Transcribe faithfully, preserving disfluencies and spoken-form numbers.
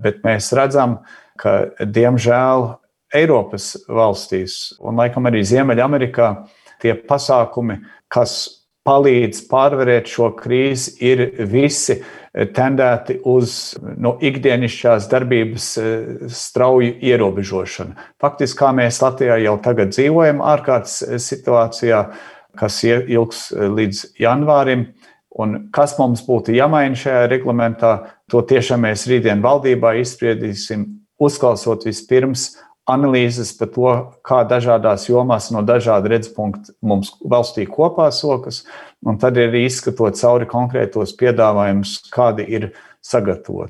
bet mēs redzam, ka, diemžēl, Eiropas valstīs un laikam arī Ziemeļamerikā tie pasākumi, kas palīdz pārvarēt šo krīzi, ir visi tendēti uz no, ikdienišķās darbības strauju ierobežošanu. Faktiski, kā mēs Latvijā jau tagad dzīvojam ārkārtas situācijā, kas ilgs līdz janvārim, un kas mums būtu jāmaina šajā reglamentā, to tiešām mēs rītdien valdībā izspriedīsim, uzklausot vispirms analīzes par to, kā dažādās jomās no dažāda redzepunkta mums valstī kopā sokas, un tad ir izskatot cauri konkrētos piedāvājumus, kādi ir sagatavoti.